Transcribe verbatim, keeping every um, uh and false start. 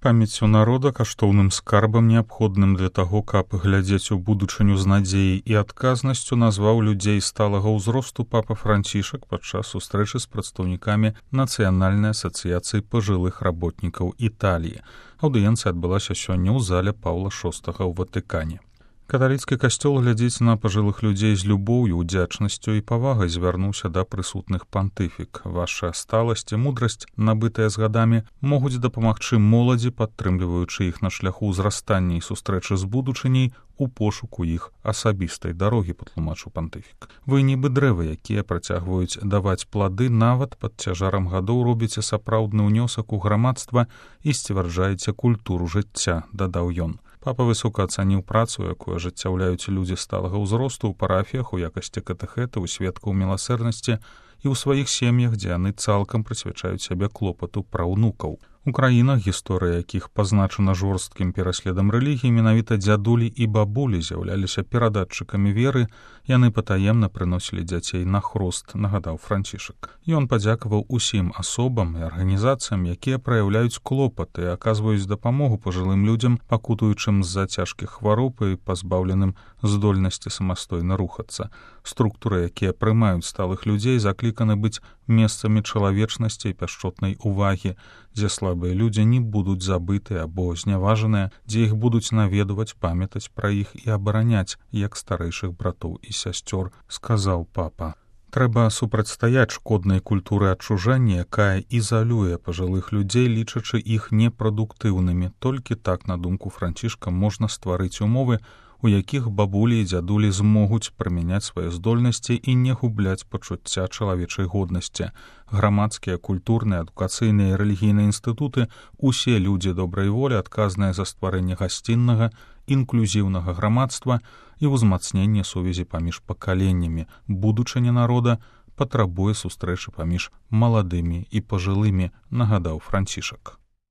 Памяццю народа каштоўным скарбам, неабходным для таго, каб глядзець у будучыню з надзеяй і адказнасцю, назваў людзей сталага ўзросту папа Францішак падчас сустрэчы з прадстаўнікамі Нацыянальнай асацыяцыі пажылых работнікаў Італіі. Аўдыенцыя адбылася сёння ў зале Паўла шостага ў Ватыкане. Каталіцкі касцёл глядзіць на пажылых людзей з любоўю, удзячнасцю і павагай звярнуўся да прысутных пантыфік. Ваша сталасць і мудрасць, набытыя з гадамі, могуць дапамагчы моладзі, падтрымліваючы іх на шляху ўзрастання і сустрэчы з будучыняй у пошуку іх асабістай дарогі, патлумачыў пантыфік. Вы нібы дрэвы, якія працягваюць даваць плады, нават пад цяжарам гадоў робіце сапраўдны ўнёсак у грамадства і сцвярджаеце культуру жыцця, дадаў ён. Папа высока ацаніў працу, якую ажыццяўляюць людзі сталага ўзросту ў парафіях у якасці катэхэтаў, сведкаў міласэрнасці і ў сваіх сем'ях, дзе яны цалкам прысвячаюць сябе клопату пра ўнукаў. У краінах, гісторыя якіх пазначана жорсткім пераследам рэлігіі, менавіта дзядулі і бабулі з'яўляліся перадатчыкамі веры, яны патаемна прыносілі дзяцей на хрост, нагадаў Францішак. Ён падзякаваў усім асобам і арганізацыям, якія праяўляюць клопат і аказваюць дапамогу пажылым людзям, пакутуючым з-за цяжкіх хвароб і пазбаўленым здольнасці самастойна рухацца. Структуры, якія прымаюць сталых людзей, закліканы быць месцамі чалавечнасці і пяшчотнай увагі, дзе слабыя людзі не будуць забытыя або зняважаныя, дзе іх будуць наведваць, памятаць пра іх і абараняць, як старэйшых братоў і сясцёр, сказаў папа. Трэба супрацьстаяць шкоднай культуры адчужэння, якая ізалюе пажылых людзей, лічачы іх непрадуктыўнымі. Толькі так, на думку Францішка, можна стварыць умовы, у якіх бабулі і дзядулі змогуць прымяняць свае здольнасці і не губляць пачуцця чалавечай годнасці. Грамадскія, культурныя, адукацыйныя і рэлігійныя інстытуты, усе людзі добрай волі, адказныя за стварэнне гасціннага, інклюзіўнага грамадства і ўзмацненне сувязі паміж пакаленнямі. Будучыня народа патрабуе сустрэчы паміж маладымі і пажылымі, нагадаў Францішак.